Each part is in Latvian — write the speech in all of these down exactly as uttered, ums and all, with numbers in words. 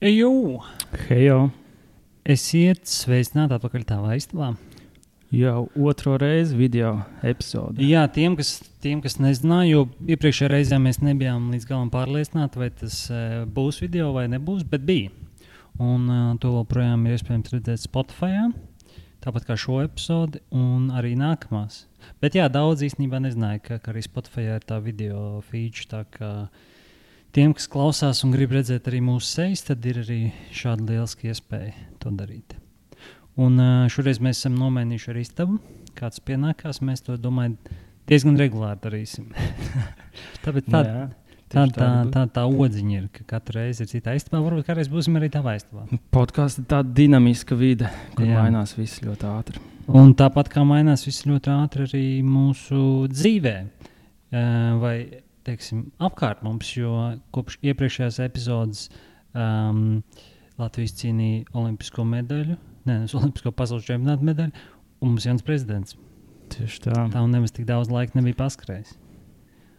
Ejo! Hejo! Esiet sveicināti atpakaļ tavā istabā. Jau otro reizi video epizode. Jā, tiem, kas, tiem, kas nezināja, jo iepriekšējā reizē mēs nebijām līdz galam pārliecināti, vai tas uh, būs video vai nebūs, bet bija. Un uh, to vēl projām ir iespējams redzēt Spotify, tāpat kā šo epizodi un arī nākamās. Bet jā, daudz īstenībā nezināja, ka, ka arī Spotify ir tā video feature, tā kā tiem, kas klausās un grib redzēt arī mūsu sejas, tad ir arī šāda lieliska iespēja to darīt. Un uh, šoreiz mēs esam nomainījuši ar istabu. Kāds pienākās, mēs to, domāju, diezgan regulāri darīsim. Tāpēc tā, Jā, tā, tā, tā, tā odziņa ir, ka katru reizi ir citā istabā. Varbūt kādreiz būsim arī tavā istabā. Podkāsts ir tāda dinamiska vide, kur Jā. mainās viss ļoti ātri. Un tāpat kā mainās viss ļoti ātri arī mūsu dzīvē. Uh, vai, teiksim, apkārt mums, jo kopš iepriekšējās epizodes um, Latvijas cīnīja olimpisko medaļu. Nē, uz Olimpisko pasaules čempionāta medaļu, un mums jauns prezidents. Tieši tā. Tā un nemaz tik daudz laika nebija paskrējis.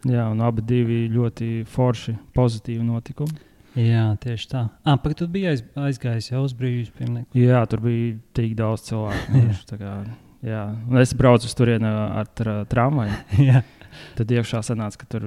Jā, un abi divi ļoti forši, pozitīvi notikumi. Jā, tieši tā. Ah, pagaid, tu biji aiz, aizgājis jau uz brīvības pieminieku. Jā, tur bija tik daudz cilvēku. tā kā, jā. Un es braucu uz turieni ar tra- tramvaju. Jā. Tad iekšā sanāca, ka tur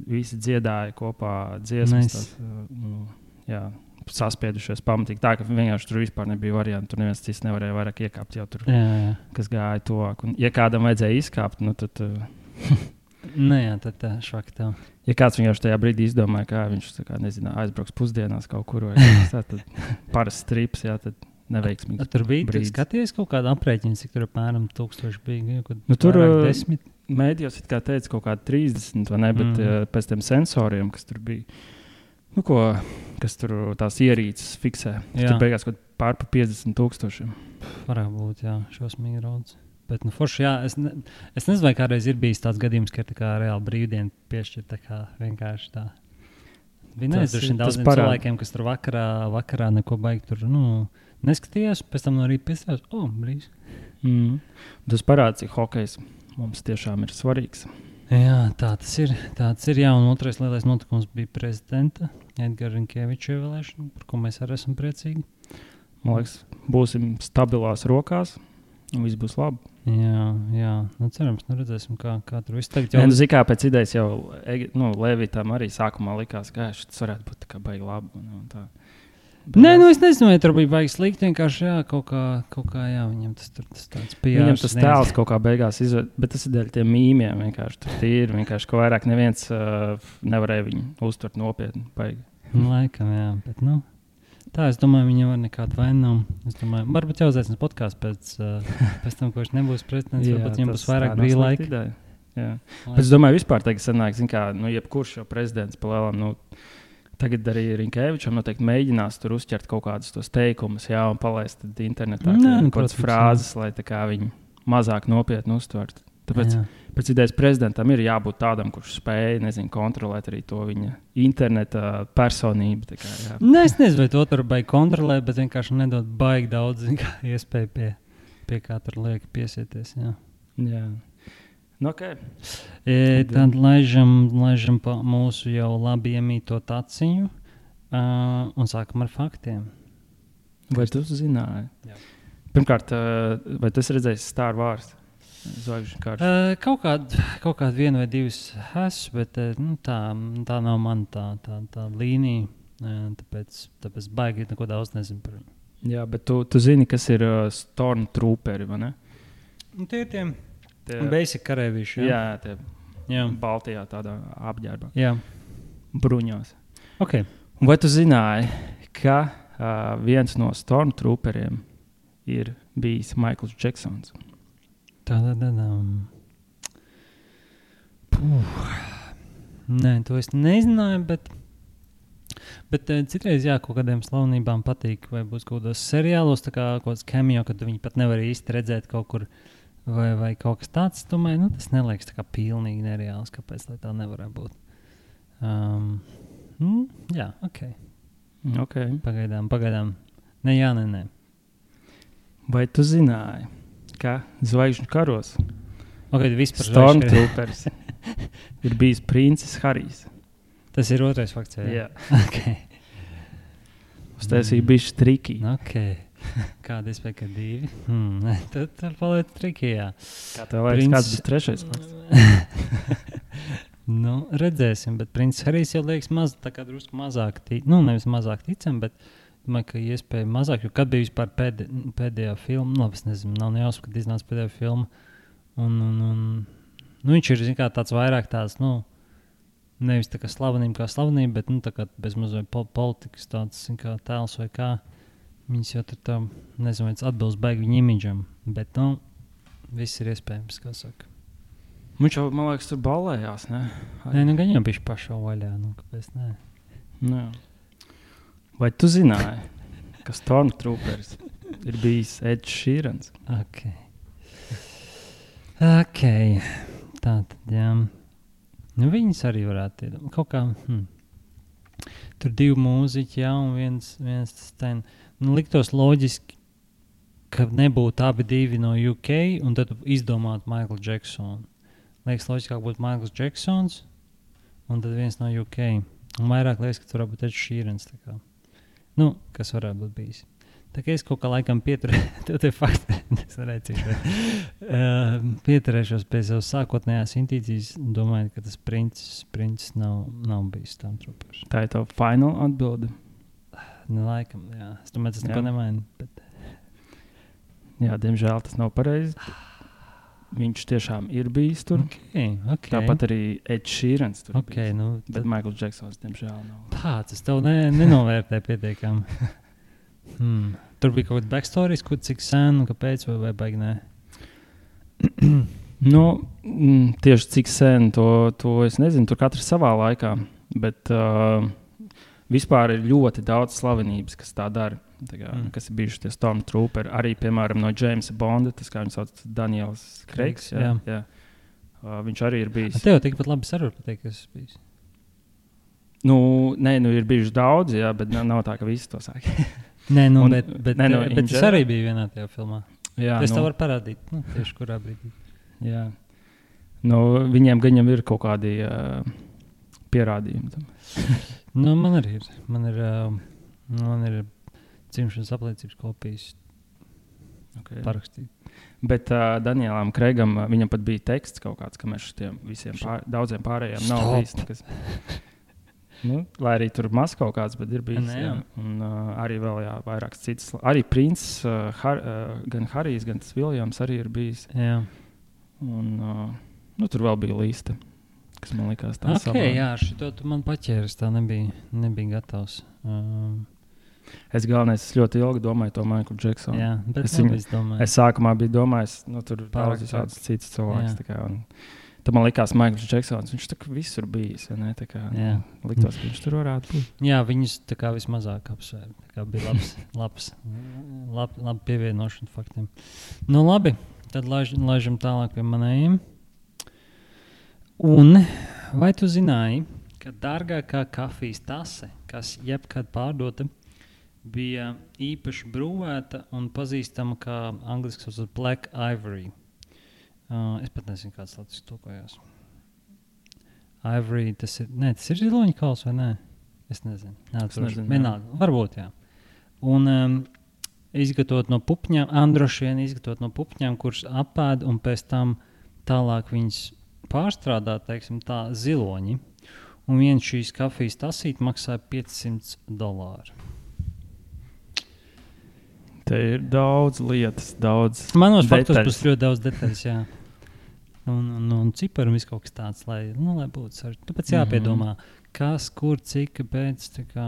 visi dziedāja kopā dziesmas. Nice. Tās, nu, jā. Saspiedušies pamatīgi. Tā, ka vienkārši tur vispār nebija variantu. Tur neviens cits nevarēja vairāk iekāpt jau tur, jā, jā. kas gāja tuvāk. Un, ja kādam vajadzēja izkāpt, nu tad... Uh, Nē, jā, tad tā švaki tev. Ja kāds vienkārši tajā brīdī izdomāja, ka viņš kā, nezinu, aizbrauks pusdienās kaut kur, vai tā, tad parasts strips, jā, tad neveiksmīgs. A, tur bija, tu skaties kaut kādu aprēķinu, cik tur apmēram tūkstoši bija? Nu, tur desmit? Mēdījos it kā teica kaut kādi trīsdesmit, vai ne, bet mm. uh, pēc tiem sensoriem, kas tur bija, nu, ko, kas tur tās ierīces fiksē. Tur beigās kaut pār pa piecdesmit tūkstošiem. Varētu būt, jā, šausmīgi daudz. Bet, nu, forši, jā, es, ne, es nezinu, vai kādreiz ir bijis tāds gadījums, ka ir tā kā reāli brīvdienu piešķir tā kā vienkārši tā. Bija neizdarši daudziem cilvēkiem, kas tur vakarā, vakarā neko baigi tur, nu, neskatījās, pēc tam no rīta piestājās, o, oh, brīvs. Mm. Tas parāds, cik hokejs mums tiešām ir svarīgs. Jā, tā tas ir. Tā tas ir, jā, un otrais lielais notikums bija prezidenta Edgara Rinkēviča ievēlēšana, par ko mēs arī esam priecīgi. Man liekas, būsim stabilās rokās, un viss būs labi. Jā, jā. Nu, cerams, nu redzēsim, kā, kā tur viss tagad jau... Jau... Zikā pēc idejas jau, nu, Levitam arī sākumā likās, ka šis varētu būt tā kā baigi labi. Un, un tā. Nē, nu es nezinu, vai tur bija baigi slikti, vienkārši jā, kaut kā, kaut kā jā, viņam tas tur tas tāds pieejams. Viņam tas tēls kaut kā beigās izvērt, bet tas ir dēļ tiem mīmiem vienkārši. Tur tīri, vienkārši, ko vairāk neviens uh, nevarēja viņu uztvert nopietni, baigi. Laikam, jā, bet nu, tā es domāju, viņa var nekādu vainu nav. Es domāju, varbūt jau uzaicinās podkāstu pēc, uh, pēc tam, ko viņš nebūs prezidents, varbūt viņam būs vairāk brīva laika. Jā. Bet es domāju, vispār tagad sanāk, zin kā, nu, jebkurš jau prezidents palēlām, nu, tagad arī Rinkēvičam noteikti mēģinās tur uzķert kaut kādus tos teikumus, jā, un palaist internetā Nē, kaut kādas frāzes, lai tā kā viņi mazāk nopietni uztvertu. Tāpēc jā. Pēc idejas prezidentam ir jābūt tādam, kurš spēj, nezinu, kontrolēt arī to viņa interneta personību. Tā kā, jā. Nē, es nezinu, vai to tur baigi kontrolēt, bet vienkārši nedod baigi daudz iespēju pie, pie kā tur liek piesieties, jā. Jā. Nu, okay. e, tad laižam, laižam pa mūsu jau labi iemīto taciņu uh, un sākam ar faktiem. Vai tu zināji? Jā. Pirmkārt, uh, vai tu esi redzējis Star Wars? Zvaigžņu kārtu? Uh, kaut kādu kaut kād vienu vai divas esmu, bet uh, nu, tā, tā nav man tā, tā, tā līnija, uh, tāpēc, tāpēc baigi neko daudz nezinu par viņu. Jā, bet tu, tu zini, kas ir uh, Stormtrooperi, vai ne? Nu, tie ir tiem. Basic karēvīši, jā? Jā, tie jā. Baltijā tādā apģērbā. Jā. Bruņos. Okay. Vai tu zināji, ka uh, viens no Stormtrooperiem ir bijis Maikls Džeksons? Tā, tā, tā, tā. Puh. Nē, to es nezināju, bet, bet citreiz, jā, kaut kādiem slavenībām patīk, vai būs kaut kādos seriālos, tā kā kaut kāds cameo, kad viņi pat nevar īsti redzēt kaut kur Vai, vai kaut kas tāds, domāju, nu, tas neliekas tā kā pilnīgi nereāls, kāpēc lai tā nevarētu būt. Um, mm, jā, ok. okay. Pagaidām, pagaidām. Ne, jā, ne, ne. Vai tu zināji, ka Zvaigžņu karos okay, Stormtroopers ir bijis princis Harijs? Tas ir otrais fakts, jā? Jā. Okay. Uztaisīja bišķi triki. Ok. Kāda iespēja, ka divi? Hmm. Tad tur paliek triki, jā. Kā tev liekas, Princ... kāds būs trešais fakts? Nu, redzēsim, bet Princis Harijs jau liekas maz, tā kā drusku mazāk, tic, nu, nevis mazāk ticam, bet domāju, ka iespēja mazāk, jo kad bija vispār pēdē, pēdējā filma, nu, labi, es nezinu, nav nejausmu, kad iznāca pēdējā filma, un, un, un nu, viņš ir, zin kā, tāds vairāk tāds, nu, nevis tā kā slavenība kā slavenība, bet, nu, tā kā bez mazliet politikas tāds, zin kā, tēls vai kā, viņas jau tur tā, nezinu, vai atbilst baigi viņa imidžam, bet, nu, viss ir iespējams, kā saka. Viņš jau, man liekas, tur ballējās, ne? Nē, nu, gan jau bišķi pašā vaļā, nu, kāpēc ne? Nu, vai tu zināji, ka Stormtroopers ir bijis Ed Sheerans? Ok. Ok. Tā tad, jā. Nu, viņas arī varētu iedomāt. Kaut kā, hm. Tur divi mūziķi, jā, un viens, viens tas ten. Nu, liktos loģiski, ka nebūtu abi divi no U K, un tad izdomātu Michael Jacksonu. Liekas, loģiskāk būtu Michaels Jacksons, un tad viens no U K. Un vairāk liekas, ka tur varētu būt Ed Sheerans, tā kā. Nu, kas varētu būt bijis. Tā kā es kaut kā laikam pieturēju, tev te fakti, es redzīšu, uh, pieturēšos pie savas sākotnējās intīcijas, domāju, ka tas princis, princis nav, nav bijis Stormtroopers. Tā ir tava final atbilde? Nu, laikam, jā. Es domāju, tas neko nemaina. Bet... Jā, diemžēl tas nav pareizi. Viņš tiešām ir bijis tur. Okay, okay. Tāpat arī Ed Sheerans tur okay, bijis. Nu, bet tad... Michael Jacksons, diemžēl, nav. Tāds, es tev ne, nenovērtēju pietiekami. hmm. Tur bija kaut kāds backstories, kur cik sen, kāpēc, vai, vai baigi nē? nu, m, tieši cik sen, to, to es nezinu. Tur katrs savā laikā. Bet uh, vispār ir ļoti daudz slavenības, kas tā dara. Tā kā, mm. Kas ir bijuši tie Stormtrooperi. Arī, piemēram, no Jamesa Bonda, tas kā viņš sauc Daniels Kreigs. Jā, jā. Jā. Uh, viņš arī ir bijis. A tev tikpat labi sarvar pateikt, kas ir bijis? Nu, nē, nu ir bijuši daudz, jā, bet nav, nav tā, ka visi to saka. nē, nu, Un, bet, bet, nē, nu, bet es arī biju vienā tajā filmā. Jā, es nu, tev varu parādīt, nu, tieši kurā brīdī. Jā. Nu, viņiem gan jau ir kaut kādi uh, pierādījumi tam. nu, man arī ir. Man ir, uh, man ir dzimšanas apliecības kopijas okay. parakstīt. Bet uh, Danielam Kreigam, uh, viņam pat bija teksts kaut kāds, ka mēs šitiem visiem pār, daudziem pārējiem Stop. nav bijis nekas. nu, lai arī tur maz kaut kāds, bet ir bijis. Ne, jā. Un uh, arī vēl jā, vairāks cits. Arī Princis, uh, Har, uh, gan Harijs, gan tas Viljams arī ir bijis. Jā. Un uh, nu, tur vēl bija lista, kas man likās tā okay, savā. Jā, šito tu man paķēris, tā nebija, nebija gatavs. Um, Es galvenais, es ļoti ilgi domāju to Michael Jacksonu. Jā, bet es, viņu, es, es sākumā biju domājis, nu tur daudz visādas citas cilvēks. Tā kā, un, tad man likās Michael Jacksons, viņš tā kā visur bijis, ne? Tā kā jā. Liktos, ka viņš tur varētu būt. Jā, viņus tā kā vismazāk apsvēr. Tā kā bija labs, labs, lab, labi pievienošana faktiem. Nu labi, tad laiž, laižam tālāk pie manējiem. Un vai tu zināji, ka dārgākā kafijas tase, kas jebkad pārdota, bija īpaši brūvēta un pazīstama kā angliski saucas Black Ivory. Uh, es pat nezinu, kāds latviešu tulkojās. Ivory, tas ir, ne, tas ir ziloņa kauls vai nē? Es nezinu. Nē, tas nezinu. Vienalga, varbūt, jā. Un um, izgatavot no pupņām, androšien izgatavot no pupņām, kuras apēd un pēc tam tālāk viņas pārstrādā, teiksim tā, ziloņi. Un viens šīs kafijas tasīt maksāja piecsimt dolāru. Te ir daudz lietas, daudz Manos faktos būs ļoti daudz detaļas, jā. Un, un, un cipari un viss kaut kas tāds, lai, nu, lai būtu sarežģīti. Tāpēc jāpiedomā, kas, kur, cik, kāpēc, tā kā.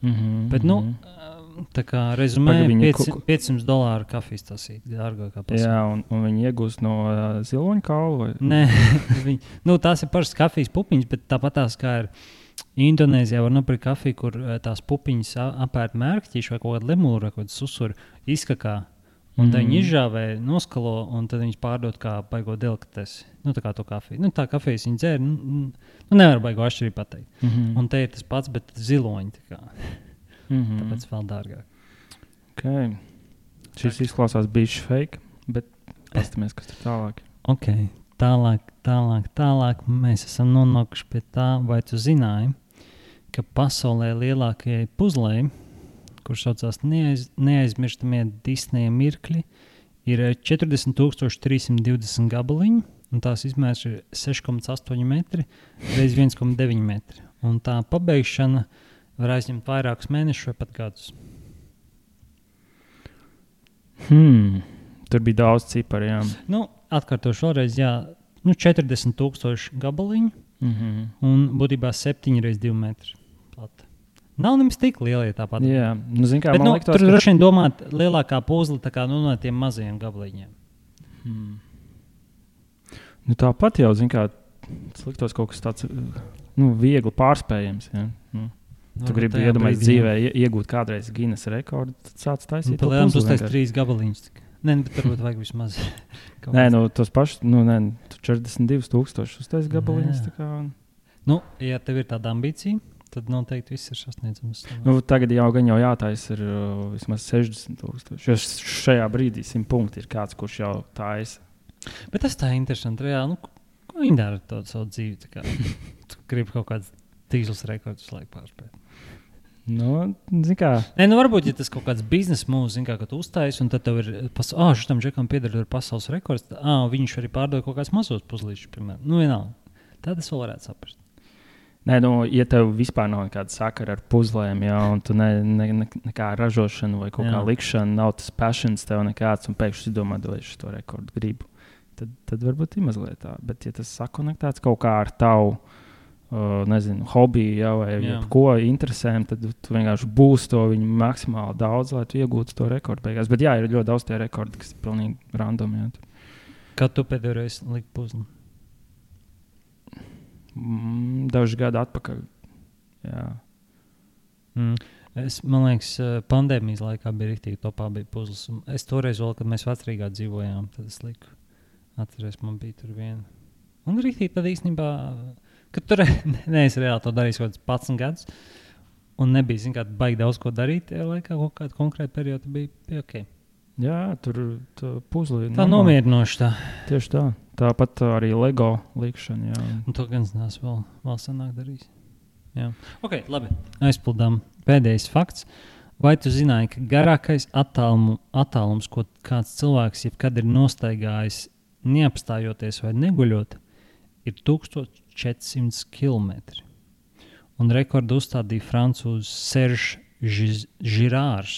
Mm-hmm, Bet, nu, tā kā rezumē, piecsimt, piecsimt dolāru kafijas tasīt, dārgākā pasaulē. Jā, un, un viņi iegūst no uh, ziloņa kaula? Vai? Nē, viņi, nu, tās ir pašas kafijas pupiņas, bet tāpat tās kā ir Indonēzijā var nopirkt kafiju, kur tās pupiņas apērt mērkķīši vai kaut kādu lemūru vai kaut kādu susuru izkakā. Un mm. tad viņi izžāvē, noskalo un tad viņas pārdod kā baigo delikatesi. Nu, tā kā to kafiju. Nu, tā kafijas viņi dzēr, nu, nu nevar baigo atšķirību pateikt. Mm-hmm. Un te ir tas pats, bet ziloņi tā kā. Mm-hmm. Tāpēc vēl dārgāk. Okay. Šis izklausās bišķi fake, bet pastamies, kas tur tālāk. Ok, tālāk, tālāk, tālāk. Mēs esam nonākuši pie tā, vai tu zināji, ka pasaulē lielākajai puzlei, kurš saucās neaiz, neaizmirstamie Disneja mirkļi, ir četrdesmit tūkstoši trīs simti divdesmit gabaliņi, un tās izmērs ir seši komats astoņi metri reiz viens komats deviņi metri. Un tā pabeigšana var aizņemt vairākus mēnešus vai pat gadus. Hmm, tur bija daudz ciparu, jā. Nu, atkārtošu vēlreiz, jā, nu četrdesmit tūkstoši gabaliņu, Mm-hmm. un būtībā septiņi reiz divi metri plata. Nav nemaz tik liela, ja tāpat. Jā, nu, zin kā, bet, man nu, liktos, tur ka... droši vien domāt lielākā puzle tā kā nu, no tiem mazajiem gabaliņiem. Hmm. Nu, tāpat jau, zin kā, tas liktos kaut kas tāds, nu, viegli pārspējams, jā. Nu. Tu gribi iedomājies dzīvē iegūt kādreiz Guinness rekordu, tad sāc taisīt nu, to puzli. Tu taisi trīs gabaliņus. Nē, bet varbūt vajag vismaz. Nē, nu, tos pašus, nu, nē, tu četrdesmit divus tūkstošus uztais gabaliņus, tā kā. Un... Nu, ja tev ir tāda ambicija, tad noteikti viss ir sasniedzams. Nu, tagad jau gan jau jātais ir uh, vismaz sešdesmit tūkstoši, jo šajā brīdī simt punkti ir kāds, kurš jau taisa. Bet tas tā interesanti, reāli, nu, ko viņi dara to savu dzīvi, tā kā tu gribi kaut kāds tīzls rekordus laik pārspēt. Nu, zin kā. Nē, nu varbūt, ja tas kaut kāds biznesa mūs, zin kā, ka tu uztais, un tad tev ir, pas, ā, šitam džekam pieder pasaules rekords, tad, ā, viņš arī pārdod kaut kāds mazos puzlīšus, piemēram. Nu, vienalga. Tad es vēl varētu saprast. Nē, nu, ja tev vispār nav nekāda sakara ar puzlēm, jā, un tu ne, ne, ne, nekā ražošanu vai kaut jā. Kā likšana, nav tas passions tev nekāds, un pēkšņi domā, vai es to rekordu gribu, tad, tad varbūt ir mazliet tā. Bet, ja tas sakonektēts kaut kā ar tavu, Uh, nezinu, hobiju jau, vai ko interesēm, tad tu vienkārši būsi to viņu maksimāli daudz, lai tu iegūtu to rekordu beigās. Bet jā, ir ļoti daudz tie rekordi, kas ir pilnīgi random. Jā. Kad tu pēdējo reizi liki puzli? Mm, daži gadi atpakaļ. Jā. Mm. Es, man liekas, pandēmijas laikā bija riktīgi topā bija puzles. Es toreiz vēl, kad mēs Vecrīgā dzīvojām, tad es liku, atceries, man bija tur viena. Un riktīgi tad īstenībā... Kad tur neesi reāli to darījis kaut kāds padsmit gadus, un nebija, zin kā, baigi daudz ko darīt, tajā laikā kaut kāda konkrēta perioda bija, bija ok. Jā, tur puzli. Tā nomierinoši tā. Tieši tā. Tāpat arī Lego likšana, jā. Un to gan zinās vēl, vēl sanāk darīs. Jā. Ok, labi. Aizpildām pēdējais fakts. Vai tu zināji, ka garākais attālumu, attālums, ko kāds cilvēks jebkad ir nostaigājis, neapstājoties vai neguļot, ir tūkstoš četrsimt kilometri. Un rekordu uzstādīja francūzs Serge Girārs,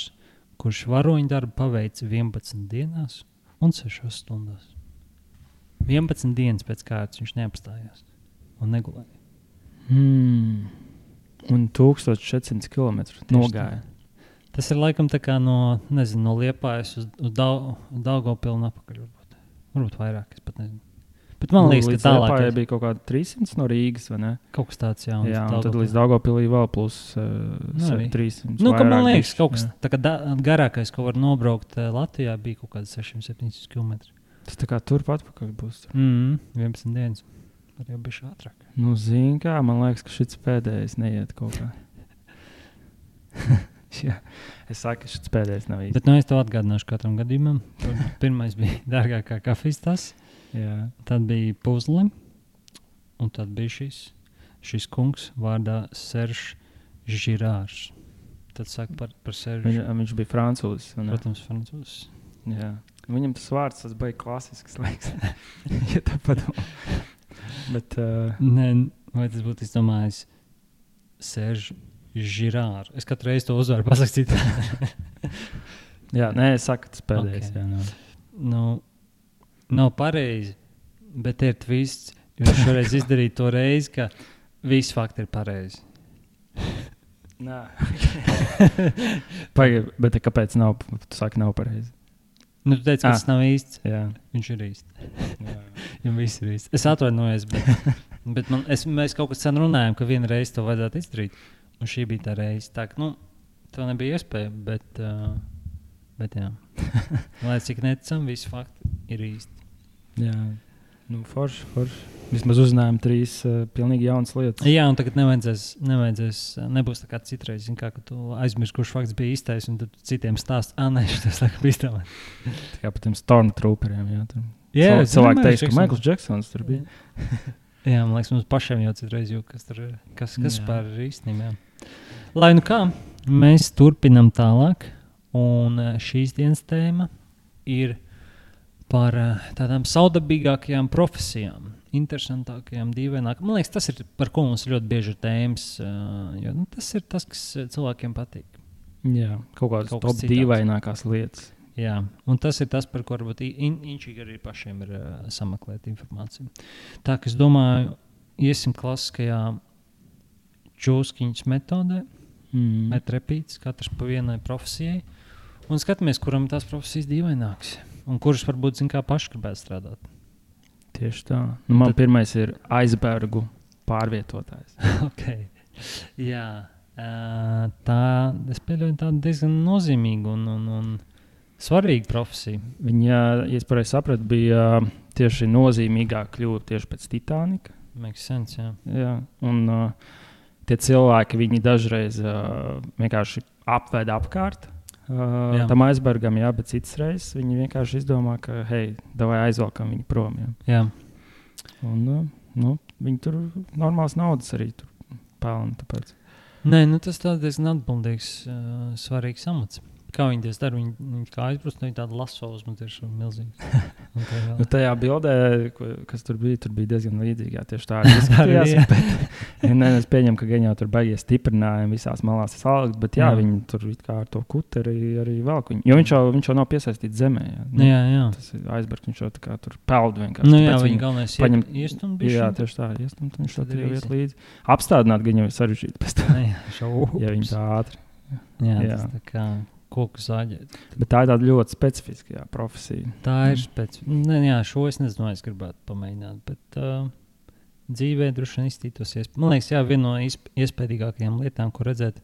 kurš varoņu darbu paveica vienpadsmit dienās un sešās stundās. vienpadsmit dienas pēc kārtas viņš neapstājās un negulēja. Hmm. Un tūkstoš četrsimt kilometri nogāja. Tas ir laikam tā kā no, nezinu, no Liepājas uz, uz Daugavpilu un apakaļ varbūt. Varbūt vairāk, es pat nezinu. Bet man liekas, nu, ka tālāk Liepājai bija kaut kāda trīssimts no Rīgas, vai ne? Kaut kas tāds, jā. Jā, un tad līdz Daugavpilī vēl plus uh, nu, trīssimts. Nu, ka man liekas, kaut kas tā kā da, garākais, ko var nobraukt uh, Latvijā, bija kaut kāds sešsimt septiņdesmit kilometri. Tas tā kā turpat atpakaļ būs. Mm, vienpadsmit dienas. Var jau bišķi ātrāk. Nu, zin kā, man liekas, ka šits pēdējais neiet kaut kā. Jā, es saku, ka šits pēdējais nav īsti. Bet nu es tev atgādināšu katram gadījumam. Pirmais bija dārgākā kafijas tas. Jā. Tad bija puzle, un tad bija šis, šis kungs vārdā Serge Girārs. Tad saka par, par Serge. Viņš, viņš bija francūzis. Protams, francūzis. Jā. Viņam tas vārds, tas bija klasisks, laiks. Ja tā padomā. Bet... Uh... Nē, vai tas būtu izdomājis Serge Girārs? Es katru reizi to uzvaru pasakstīt. Jā, nē, es saku, tas pēdējais. Okay. Jā, no. Nu, nav pareizi, bet ir twists. Viņš šoreiz izdarīja to reizi, ka visi fakti ir pareizi. Nā. Pagaid, bet kāpēc nav? Tu saki, nav pareizi. Nu, tu teici, ka ah, tas nav īsts. Jā. Viņš ir īsts. Jums viss ir īsts. Es atvainojos, bet, bet man, es, mēs kaut kas sen runājām, ka viena reize to vajadzētu izdarīt. Un šī bija tā reize. Tā, nu, to nebija iespēja, bet... Uh, Bet jā, lai cik neticam, visi fakti ir īsti. Jā, nu forši, forši. Vismaz uzzinājām trīs uh, pilnīgi jaunas lietas. Jā, un tagad nevajadzēs, nevajadzēs nebūs tā kā citreiz, zin kā, ka tu aizmirsti, kurš fakts bija īstais, un tad citiem stāst, ā, nē, šitas laikam bija īstamēt. Tā kā par tiem Stormtrooperiem, jā. Tur. Jā, Cilvēki cilvēki teiks, ka Michaels Jacksons tur bija. Jā, man liekas, mums pašiem jau citreiz jūk, kas tur ir, kas, kas pār ir īstenībā, jā. Lai nu kā, mēs turpinam tālāk, un šīs dienas tēma ir par tādām saudabīgākajām profesijām, interesantākajām, dīvainākajām. Man liekas, tas ir, par ko mums ļoti bieži ir tēmas, jo nu, tas ir tas, kas cilvēkiem patīk. Jā, kaut kādas kaut top dīvainākās lietas. Jā, un tas ir tas, par ko varbūt inčīgi arī pašiem ir uh, sameklēt informāciju. Tā, ka es domāju, iesim klasiskajā čūskiņas metodē, mm. vai trepīts, katrs pa vienai profesijai, un skatāmies, kuram tās profesijas dīvaināks, un kuras varbūt, zin kā, paši gribētu strādāt. Tieši tā. Nu, man Tad... pirmais ir aizbergu pārvietotājs. ok. Jā, uh, tā, es pieļauju tādu diezgan nozīmīgu un, un, un svarīgu profesiju. Viņa, ja es pareizi sapratu, bija tieši nozīmīgāk kļuva tieši pēc Titanika. Makes sense, jā. Jā, un uh, tie cilvēki, viņi dažreiz uh, vienkārši apveda apkārt uh, tam aizbergam, jā, bet citas reizes viņi vienkārši izdomā, ka, hei, davai aizvelkam viņu prom. Jā. jā. Un uh, nu, viņi tur normāls naudas arī tur pelna, tāpēc. Nē, nu tas tā diezgan atbildīgs, uh, svarīgs amats. Kā viņi tas dara? Viņi, viņi kā aizbrust, viņi tādu laso uz mums ir milzīgi. Nu, tajā bildē, ko, kas tur bija, tur bija diezgan līdzīgi. Jā, tieši tā arī izskatījās. bet, ne, es pieņemu, ka gan jau tur baigies stiprinājumi visās malās salikt, bet jā, jā. Viņi tur it kā ar to kuteri arī velk. Jo viņš jau, viņš jau nav piesaistīts zemē. Jā, nu, jā, jā. Tas ir aizbergs, viņš jau tā kā tur peld vienkārši. Nu jā, viņi galvenais paņem... iestumt bišķi. Jā, tieši tā, iestumt, viņš tad ir iet līdzi. Apstādināt gan jau ir sarežģīti pēc tā. Ja viņi tā ātri. Jā, jā. Tas tā kā... koku zāģēt. Bet tā ir tāda ļoti specifiska jā, profesija. Tā ir specifiska. Jā, šo es nezinu, es gribētu pamēģināt, bet uh, dzīvē droši vien iztītos iespējas. Man liekas, jā, viena no iesp- iespējīgākajām lietām, ko redzēt,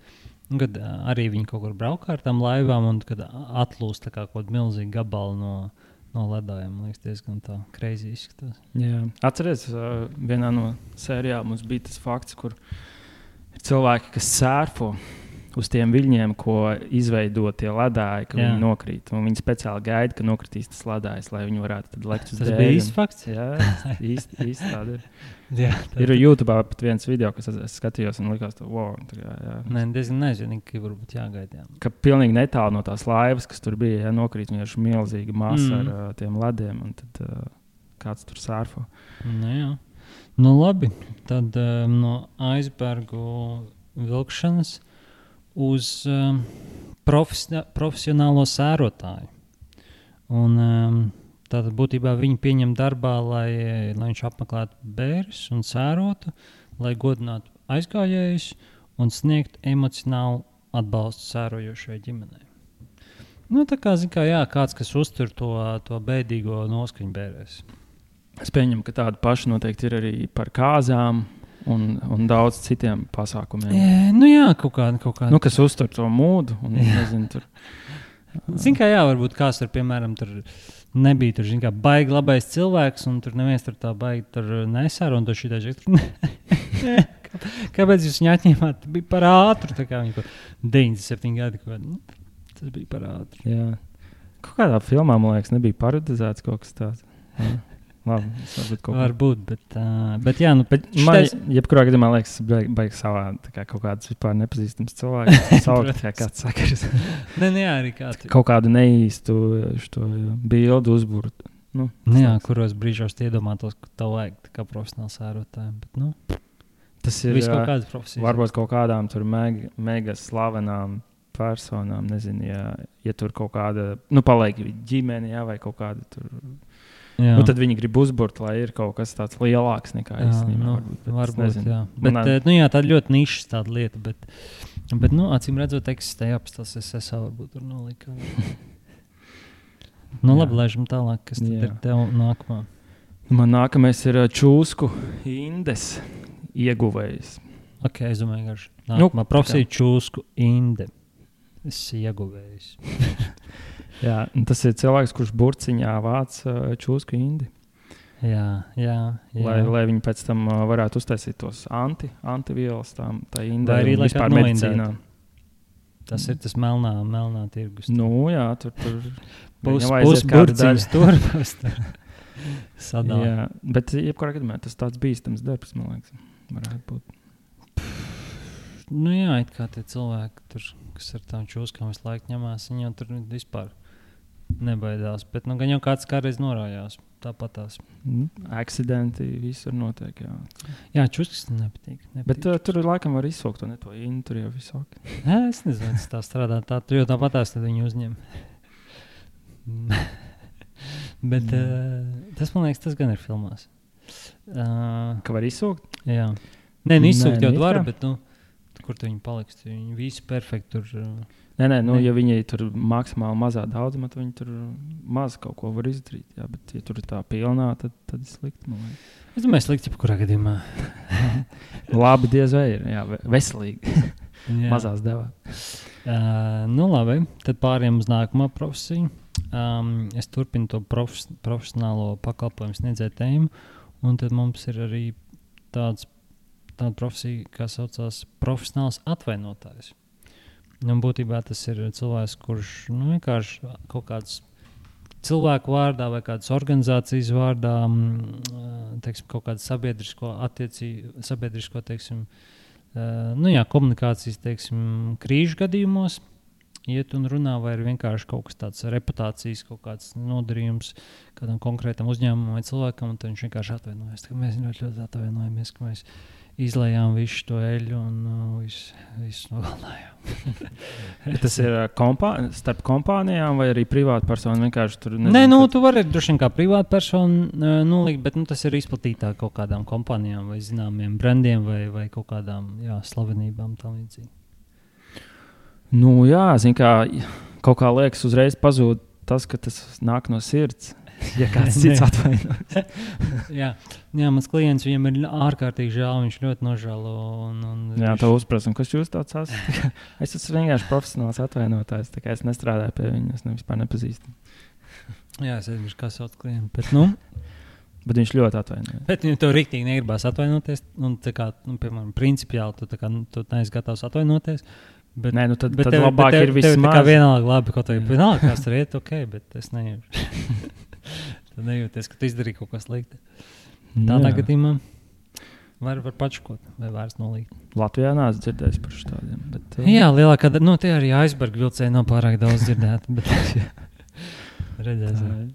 kad uh, arī viņi kaut kur braukā ar tām laivām un kad atlūst tā kā kaut milzīgi gabali no, no ledājiem. Man liekas, diezgan tā crazy izskatās. Jā. Atceries, uh, vienā no sērijām mums bija tas fakts, kur ir cilvēki, kas sērfo uz tiem viļņiem, ko izveido tie ledāji, ka jā. Viņi nokrīt. Un viņi speciāli gaida, ka nokritīs tas ledājs, lai viņi varētu tad lekt uz dēļ. Tas bija īsts fakts? Jā, īsti, īsti tāda ir. jā, tā ir YouTube pat viens video, kas es, es skatījos un likās, ka wow. Tā, jā, jā. Nē, diezgan nezinīgi, ka varbūt jāgaida. Jā. Ka pilnīgi netālu no tās laivas, kas tur bija, jā, nokrīt vienkārši milzīga masa mm. ar uh, tiem lediem, un tad uh, kāds tur sērfo. Nu jā. Nu labi, tad um, no aizbergu vilkšanas uz um, profesi- profesionālo sērotāju. Un, um, tātad būtībā viņu pieņem darbā, lai, lai viņš apmeklētu bērnus un sērotu, lai godinātu aizgājējus un sniegtu emocionālu atbalstu sērojošai ģimenei. Nu, tā kā, zin kā, jā, kāds, kas uztur to, to bēdīgo noskaņu bērēs. Es pieņemu, ka tāda paša noteikti ir arī par kāzām. Un, un daudz citiem pasākumiem. E, nu jā, kaut kāda. Kaut kāda. Nu, kas uztur to mūdu. Un, nezinu, tur. Zin kā jā, varbūt kāds tur, piemēram, tur nebija tur, zin kā, baigi labais cilvēks, un tur neviens tur tā baigi tur nesāra, un tur šitā žek tur. Kāpēc jūs viņu atņēmāt? Bija par ātru, tā kā viņi kaut deviņdesmit septiņi gadi. Kaut, nu, tas bija par ātru. Jā. Kaut kādā filmā, man liekas, nebija parodizēts kaut kas tāds. Jā. Labi, varbūt, varbūt, bet, uh, bet jā, nu, bet šitais... man, jebkurā gadījumā liekas, baigi baig savā, tā kā kaut kāds vispār nepazīstams cilvēks, saukt, kā kāds sakars. ne, ne, arī kāds. Kaut kādu neīstu šo bildu uzbūru. Nu, ne, jā, kuros brīžos iedomātos, ka tev vajag tā kā profesionāls sērotājiem, bet, nu, tas ir viss kaut kādas profesijas. Varbūt kaut kādām tur mega, mega slavenām personām, nezinu, ja, ja tur kaut kāda, nu, paliek ģimene, jā, vai kaut kāda tur... Nu, tad viņi grib uzburt, lai ir kaut kas tāds lielāks nekā īstenībā. Nu, varbūt, varbūt, jā. Bet, Manā... nu, jā, tā ir ļoti nišas tāda lieta, bet, bet nu, acīm redzot, eksistē apstāsts, es esmu varbūt tur nolikā. nu, labi, laižam tālāk, kas tad jā. Ir tev nākamā? Man nākamais ir čūsku indes ieguvējs. Ok, es domāju, garš. Nākamā nu, profesija čūsku inde. Es ieguvējs. Jā, tas ir cilvēks, kurš burciņā vāc čūsku indi. Jā, jā, jā. Lai, lai viņi pēc tam varētu uztaisīt tos anti, antivielas tām, tā indē. Vai arī vispār medicīnā. Tas ir tas melnā, melnā tirgus. Nu jā, tur tur pus, pus burciņas tur. Sadā. Jā, bet jebkurā gadījumā tas tāds bīstams darbs, man liekas, varētu būt. nu jā, it kā tie cilvēki, tur, kas ar tām čūskām visu laiku ņemās, viņi jau tur vispār nebaidās. Bet nu, gan jau kāds kādreiz norājās. Tāpatās. Mm. Akcidenti visur notiek, jā. Jā, čūskas nepatīk. nepatīk. Bet uh, tur laikam var izsaukt to ne to inu, tur jau visāk. Nē, es nezinu, tas tā strādā. Tā, tur jau tāpatās, tad viņi uzņem. Bet mm. uh, tas, man liekas, tas gan ir filmās. Uh, Ka var izsaukt? Jā. Nē, nu izsaukt jau var, bet nu, kur tu viņi paliks? Viņi visi perfekti tur... Uh, Nē, nē, nu, ne. Ja viņi tur maksimāli mazā daudzumā, tad viņi tur maz kaut ko var izdarīt. Jā, bet, ja tur ir tā pilnā, tad, tad ir slikti. Es domāju, slikti, ja kurā gadījumā. Labi, diez vai ir. Jā, veselīgi. Mazās devā. Uh, nu, labi. Tad pāriem uz nākamā profesiju. Um, es turpinu to profes, profesionālo pakalpojumu sniedzēju tēmu. Un tad mums ir arī tāds, tāda profesija, kā saucās profesionāls atvainotājs. Un būtībā tas ir cilvēks, kurš nu, vienkārši kaut kāds cilvēku vārdā vai kādas organizācijas vārdā, teiksim, kaut kādu sabiedrisko attiecību, sabiedrisko, teiksim, nu jā, komunikācijas, teiksim, krīžu gadījumos iet un runā, vai ir vienkārši kaut kas tāds reputācijas, kaut kāds nodarījums kādam konkrētam uzņēmumam vai cilvēkam, un tad viņš vienkārši atvainojas. Mēs ļoti, ļoti atvainojamies, ka mēs izlējām visu to eļu un uh, visu, visu nogalinājām. Tas ir uh, kompā, starp kompānijām vai arī privāta persona vienkārši tur nezinu? Nē, nu, kad... tu vari droši vien kā privāta persona uh, nolikt, bet nu, tas ir izplatītāk kaut kādām kompānijām vai zināmiem brandiem vai, vai kaut kādām jā, slavenībām tam līdzīgi. Nu jā, zin kā, kaut kā liekas uzreiz pazūd tas, ka tas nāk no sirds. Ja kāds cits atvainojas. jā, jā, mans klients, viņam ir ārkārtīgi žēl, viņš ļoti nožēlo. Un, un jā, viņš... to uzprasam, kas jūs tāds esat? Es esmu vienkārši profesionāls atvainotājs, tā kā es nestrādāju pie viņa, es ne vispār nepazīstu. jā, es nezinu, kā sauc klientu, bet nu... bet viņš ļoti atvainojas. Bet viņam tev riktīgi negribās atvainoties, un tā kā, nu, piemēram, principiāli tu, tā kā, nu, tu neesi gatavs atvainoties. Bet, Nē, nu tad, bet tad tev, labāk bet tev, ir vismaz. Tev tā kā vienalga labi, ko tev vienalga, kas tur iet, ok, bet es nejūtu. Tad nejūties, ka tu izdarīji kaut ko slikti. Tādā gadījumā var, var pačukot vai vairs nolikt. Latvijā neesmu dzirdējis par šādiem. Bet, uh... Jā, lielākā daļa, nu tie arī aizberga vilcēji nav pārāk daudz dzirdēti, bet redzēsim.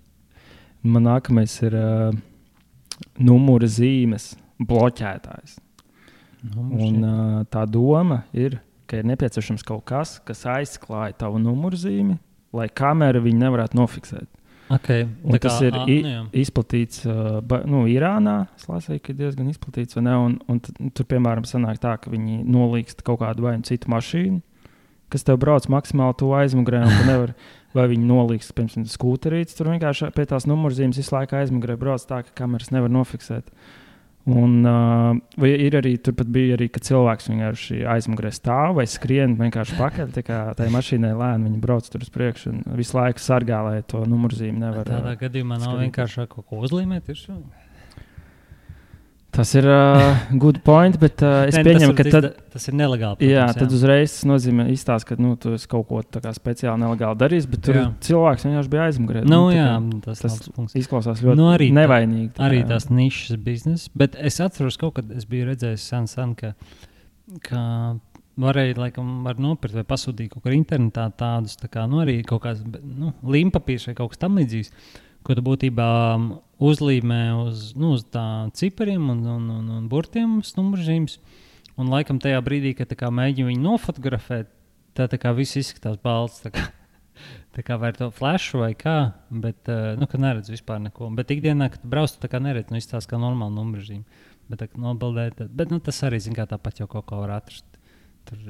Man nākamais ir uh, numura zīmes bloķētājs. Numurs, Un uh, tā doma ir, ka ir nepieciešams kaut kas, kas aizklāja tavu numurzīmi, lai kamera viņu nevarētu nofiksēt. Okay, tas kā, ir a, i, nu izplatīts uh, ba, nu, Irānā. Es lasīju, ka ir diezgan izplatīts. Un, un t, tur, piemēram, sanāk tā, ka viņi nolīkst kaut kādu vai citu mašīnu, kas tev brauc maksimāli tuvu aizmugurē. Nevar, vai viņi nolīkst, piemēram, skūterītes. Tur vienkārši pie tās numurzīmes visu laiku aizmugurē brauc tā, ka kameras nevar nofiksēt. Un, uh, ir arī, turpat bija arī, ka cilvēks vienkārši aizmugurē stāv vai skrien vienkārši pakaļ, tā kā tai mašīnai lēni viņi brauc tur uz priekšu un visu laiku sargā, lai to numurzīmi nevar. Tādā gadījumā nav skatīt. Vienkārši kaut ko uzlīmēt ir šo? Tas ir uh, good point, bet uh, es ne, pieņemu, ka tad, tas ir nelegāli. Protams, jā, jā, tad uzreiz tas nozīmē izstāst, ka nu, tu esi kaut ko tā kā speciāli nelegāli darījis, bet tur jā. Cilvēks vienkārši bija aizmugurē. Nu, nu, jā, kā, tas, tas izklausās ļoti nu, arī nevainīgi. Tā, arī tās nišas biznesa, bet es atceros kaut kad es biju redzējis sen, sen, ka, ka varēja, laikam, var nopirkt vai pasūtīt kaut kur internetā tādus, tā kā, nu, arī kaut kāds, nu, līmpapīrs vai kaut kas tam līdzīgs, ko tu būtībā uzlīmē uz, nu, uz tā cipariem un, un, un, un burtiem uz numurzīmes. Un laikam tajā brīdī, kad tā kā mēģina viņu nofotografēt, tā, tā kā viss izskatās balts. Tā kā, tā kā vai to flashu vai kā, bet, nu, ka neredz vispār neko. Bet ikdienā, kad brauc, tu tā kā neredz, nu, izstāst kā normāla numurzīme. Bet tā kā nobaldēt, bet, nu, tas arī, zin kā, tāpat jau kaut ko var atrast. Tur,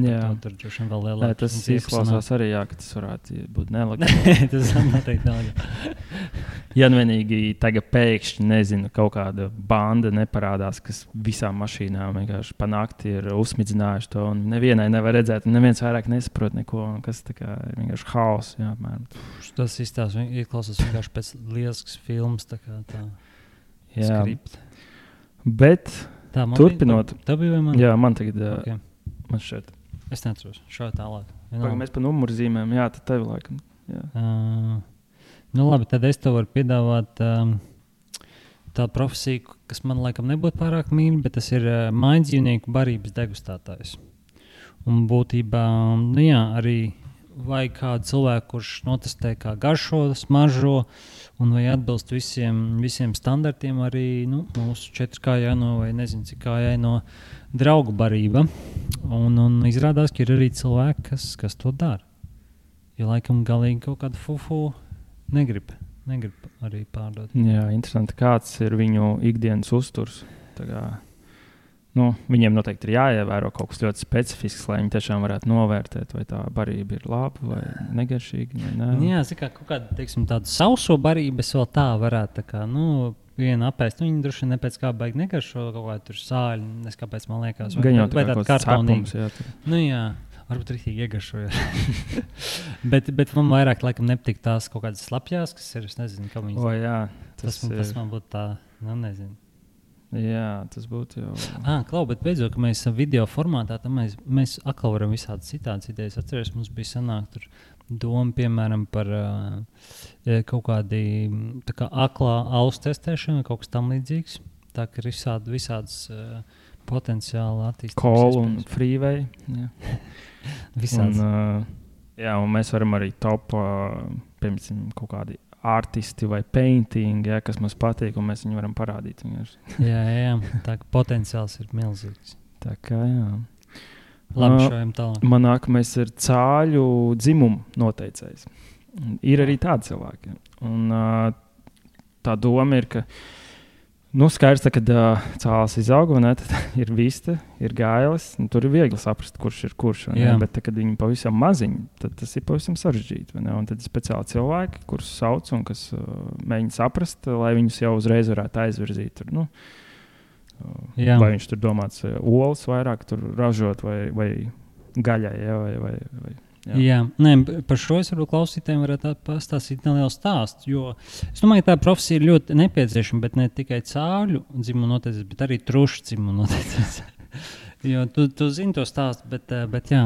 jā, tur droši vēl lielāk. Nē, tas izklausās arī, jā, ka tas varētu būt nelegāli. Tas noteikti nelegāli. Ja nu vienīgi tagad pēkšņi, nezinu, kaut kāda banda neparādās, kas visām mašīnām vienkārši pa nakti ir uzsmidzinājuši to, un nevienai nevar redzēt, un neviens vairāk nesaprot neko, un kas tā kā ir vienkārši haoss, jā, apmēram. Tas izstās, izklausās vienkārši pēc lielisks filmas, tā kā tā jā. Skript. Bet tā, turpinot. Bija, tā bija vai man? Jā, man tagad, okay. Man šeit. Es neatceros, šā tālāk. Pagam, mēs pa numurzīmēm, jā, tad tevi laikam. Jā. Uh, nu labi, tad es tev varu piedāvāt um, tā profesija, kas man laikam nebūtu pārāk mīļa, bet tas ir uh, mājdzīvnieku barības degustētājs. Un būtībā, nu jā, arī vajag kādu cilvēku, kurš notestē, kā garšo, smaržo, un vai atbilst visiem, visiem standartiem arī nu, mūsu četri kā jāno vai nezinu, cik kā jāno draugu barība. Un, un izrādās, ka ir arī cilvēki, kas, kas to dara. Jo laikam galīgi kaut kādu fufu negrib, negrib arī pārdot. Jā, interesanti, kāds ir viņu ikdienas uzturs. Tā kā, nu, viņiem noteikti ir jāievēro kaut kas ļoti specifisks, lai viņi tiešām varētu novērtēt, vai tā barība ir laba vai negaršīga. Vai ne. Jā, kā kaut kādu, teiksim, tādu sauso barību es vēl tā varētu, tā kā, nu, vienu apēst. Nu, viņi droši vien nepēc kā baigi negaršo kaut kā tur sāļi, nes kāpēc man liekas. Vai, Gaņot, vai tāda kartonīga. Jā, nu jā, varbūt rītīgi iegaršoja. bet, bet man vairāk laikam nepatīk tās kaut kādas slapjās, kas ir, es nezinu, kā viņas. O jā, tas, tas, man, tas man būtu tā, nu nezinu. Jā, tas būtu jau. Ah, klau, bet beidzot, ka mēs video formātā, tad mēs, mēs atkal varam visādas citādas idejas. Atceries, mums bija sanāk tur doma, piemēram, par uh, kaut kādi tā kā aklā auss testēšana, kaut kas tam līdzīgs. Tā ka ir visādi, visādas uh, potenciāli attīstības. Call un freeway. Jā. Visāds. Un, uh, jā, un mēs varam arī top, uh, piemēram, kaut kādi artisti vai painting, ja, kas mums patīk, un mēs viņu varam parādīt. jā, jā, tā ka potenciāls ir milzīgs. Tā kā, jā. Labi, šojam tālāk. Man nākamais ir cāļu dzimumu noteicējs. Ir arī tādi cilvēki. Un uh, tā doma ir, ka nu, skaidrs, tā, kad uh, cālis izaug, ne, tad ir vista, ir gailis, un tur ir viegli saprast, kurš ir kurš. Ne, bet, tā, kad viņi pavisam maziņi, tad tas ir pavisam sarežģīti. Un tad ir speciāli cilvēki, kurus sauc un kas uh, mēģina saprast, lai viņus jau uzreiz varētu aizvirzīt. Tur, nu, uh, vai viņš tur domāts uh, olas vairāk tur ražot vai, vai gaļai, ja, vai, vai, vai Jā, Jā. Nē, par šo es varbūt klausītājiem varētu pastāstīt nelielu stāstu, jo es domāju, ka tā profesija ir ļoti nepieciešama, bet ne tikai cāļu dzimumu noteicējs, bet arī trušu dzimumu noteicējs. jo tu, tu zini to stāstu, bet, bet jā,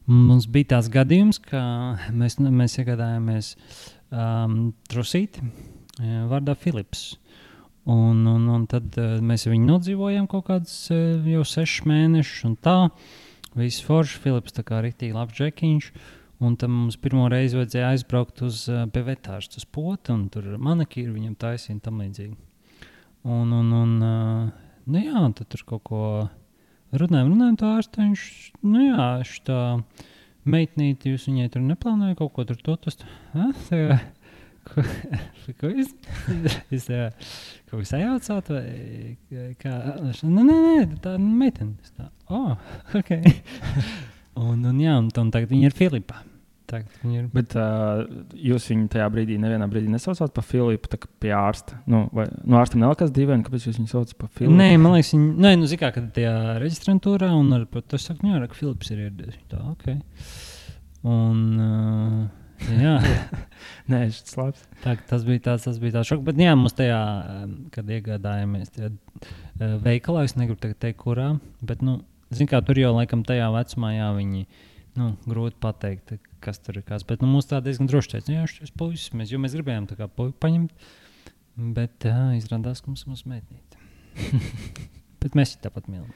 mums bija tās gadījums, ka mēs, mēs iegādājāmies um, trusīti vārdā Filips. Un, un, un tad mēs viņu nodzīvojām kaut kādus jau sešus mēnešus un tā. Viss forši, Filips tā kā riktīgi labs džekiņš, un tam mums pirmo reizi vajadzēja aizbraukt uz uh, pie vetārsta uz poti, un tur manikīri viņam taisīja un tam līdzīgi. Un, un, un uh, nu jā, tad tur kaut ko runājam, runājam tā ārsta, viņš, nu jā, šitā meitnīti, jūs viņai tur neplānoja kaut ko tur totas, ha? Tā kā, ko, ko es, es tā, kaut kas sajaucāt, vai kā, nē, nē, nē, tā meitene, es tā, oh, ok. un, un jā, un, un tagad viņa ir Filipa. Ir... Bet uh, jūs viņu tajā brīdī, nevienā brīdī nesaucāt par Filipu, tā kā pie ārsta? Nu, vai, nu ārstam nelikās dīvaini, kāpēc jūs viņu saucat par Filipu? Nē, man liekas, viņa, nē, nu, zikā, kad tajā reģistrantūrā, un ar, tas saka, nu, jā, ka Filips ir ieradies. Tā, ok. Un, uh, jā. Nē, šis labs. Tā, tas bija tāds, tas bija tāds šoks, bet jā, mums tajā, kad iegādājāmies tajā veikalā, es negribu tagad teikt, kurā, bet, nu, zin kā, tur jau laikam tajā vecumā, jā, viņi, nu, grūti pateikt, kas tur ir kas, bet, nu, mums tā diezgan droši teica, jā, šis puisis, mēs, jo mēs gribējām tā kā puiku paņemt, bet, jā, izrādās, ka mums mums meitnīt. bet mēs tāpat mīlam.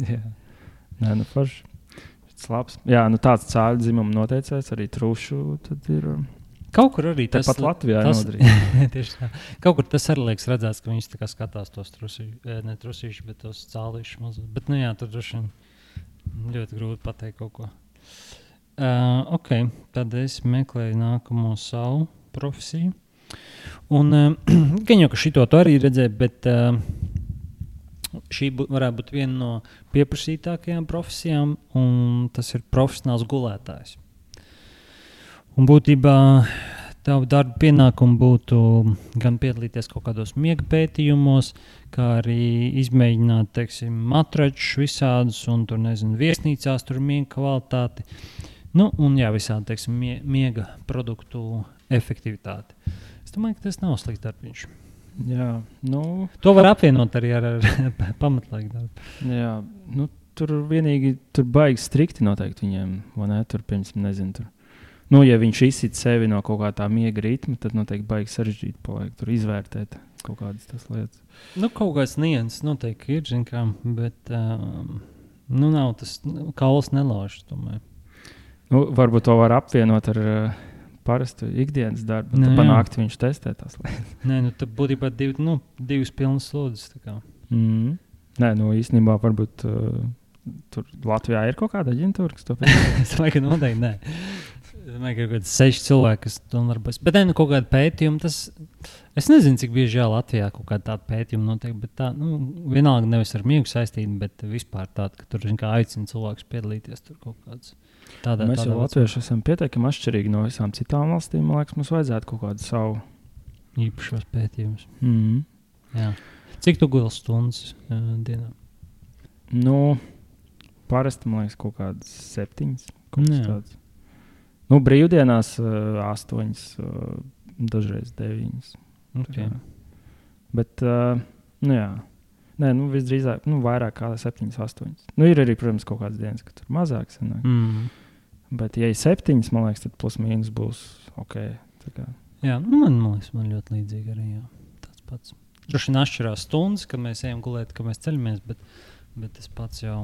Jā, nē, nu, forši. Labs. Jā, nu tāds cāļu dzimuma noteicējs, arī trušu, tad ir... Kaut kur arī tas... Tāpat Latvijā nodarīt. Tieši tā. Kaut kur tas arī liekas redzēts, ka viņš tā kā skatās tos trusīšus, ne trusīšus, bet tos cālīšus mazos. Bet, nu jā, tur droši ļoti grūti pateikt kaut ko. Uh, ok, tad es meklēju nākamo savu profesiju. Un, uh, gan jau, ka šito tu arī redzēju, bet... Uh, Šī bū, varētu būt viena no pieprasītākajām profesijām, un tas ir profesionāls gulētājs. Un būtībā tavu darbu pienākumu būtu gan piedalīties kaut kādos miega pētījumos, kā arī izmēģināt, teiksim, matračus visādus, un tur, nezinu, viesnīcās tur miega kvalitāti. Nu, un jā, visādi, teiksim, mie, miega produktu efektivitāti. Es domāju, ka tas nav slikts darbiņš. Jā, nu... To var apvienot arī ar, ar pamatlaiku darbu. Jā, nu, tur vienīgi, tur baigi strikti noteikti viņiem, vai ne, tur, piemēram, nezinu, tur. Nu, ja viņš izsit sevi no kaut kā tā miega ritma, tad noteikti baigi sarežģīti paliek tur izvērtēt, kaut kādas tas lietas. Nu, kaut kāds nianses noteikti ir, zin kā, bet um, nu nav tas, kauls nelauž, tomēr. Nu, varbūt to var apvienot ar uh, parastu ikdienas darbu, un tad panākt viņš testē tās lietas. Nē, nu, tad būtībā div, nu, divas pilnas slodzes, tā kā. Mm. Nē, nu, īstenībā varbūt uh, tur Latvijā ir kaut kāda aģentūra, kas to pēc. Es domāju, ka noteikti nē. Es domāju, ka ir kaut kāds seši cilvēki, kas to darbojas. Bet, ne, nu, kaut kāda pētījuma, tas, es nezinu, cik bieži jā Latvijā kaut kāda tāda pētījuma notiek, bet tā, nu, vienalga nevis ar miegu saistīti, bet vispār tāda, ka tur, zin kā, aicina cilvēkus piedalīties tur kaut kāds. Tādā, mēs tādā jau latvieši esam pietiekami atšķirīgi no visām citām valstīm. Man liekas, mums vajadzētu kaut kādu savu īpašos pētījumus. Mm. Jā. Cik tu guļ stundas uh, dienā? Nu, parasti, man liekas, kaut kādas septiņas. Kaut tāds. Nu, brīvdienās uh, astoņas, uh, dažreiz deviņas. Okay. Bet, uh, nu jā. Nē, nu, visdrīzāk, nu, vairāk kā septiņas, astoņas. Nu, ir arī, protams, kaut kādas dienas, ka tur mazāk sanāk. Mm. Bet, ja ir septiņas, man liekas, tad plus mīnus būs ok. Tā kā. Jā, nu, man, man liekas, man ļoti līdzīgi arī, jā. Tāds pats. Droši vien atšķirās stundas, kad mēs ejam gulēt, kad mēs ceļamies, bet, bet es pats jau...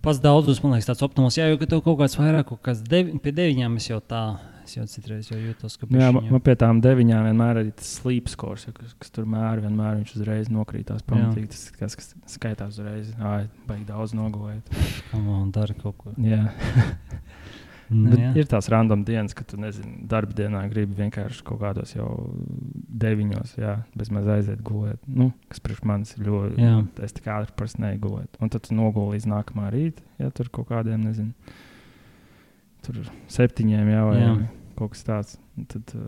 Pats daudzos, man liekas, tāds optimāls. Jā, jo, ka tev kaut kāds vairāk, kaut kāds devi, pie deviņām es jau tā, es jau citreiz jau jūtos, ka... Jā, man, man pie tām deviņām vienmēr arī tas sleep scores, ja, kas, kas tur mēr, vienmēr viņš uzreiz nokrītās pamatīgi. Tas, kas, kas skaitās uzreiz, ā, baigi daudz nogulēt. Un dara kaut ko. Jā. Nu, bet jā. ir tās random dienas, kad tu, nezini, darba dienā gribi vienkārši kaut kādos jau deviņos, jā, bez maz aiziet gulēt. Nu, kas priekš manis ir ļoti, jā. Es tik ātri parasti neju gulēt. Un tad tu noguli līdz nākamā rīta, ja tur kaut kādiem, nezinu, tur septiņiem jau vai jā. Kaut kas tāds. Tad,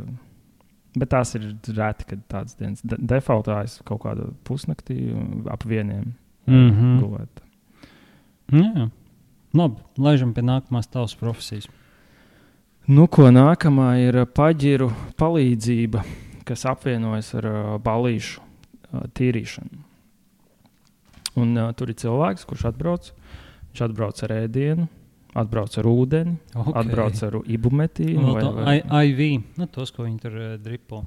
bet tās ir reti, kad tādas dienas. De- defaultā es kaut kādu pusnaktī ap vieniem mm-hmm. gulēt. Jā. Labi, laižam pie nākamās tavas profesijas. Nu, ko nākamā ir paģiru palīdzība, kas apvienojas ar uh, balīšu uh, tīrīšanu. Un uh, tur ir cilvēks, kurš atbrauc. Viņš atbrauc ar ēdienu, atbrauc ar ūdeni, okay. atbrauc ar ibumetīnu. No, vai, vai... I, I V, nu, tos, ko viņi tur uh, dripo.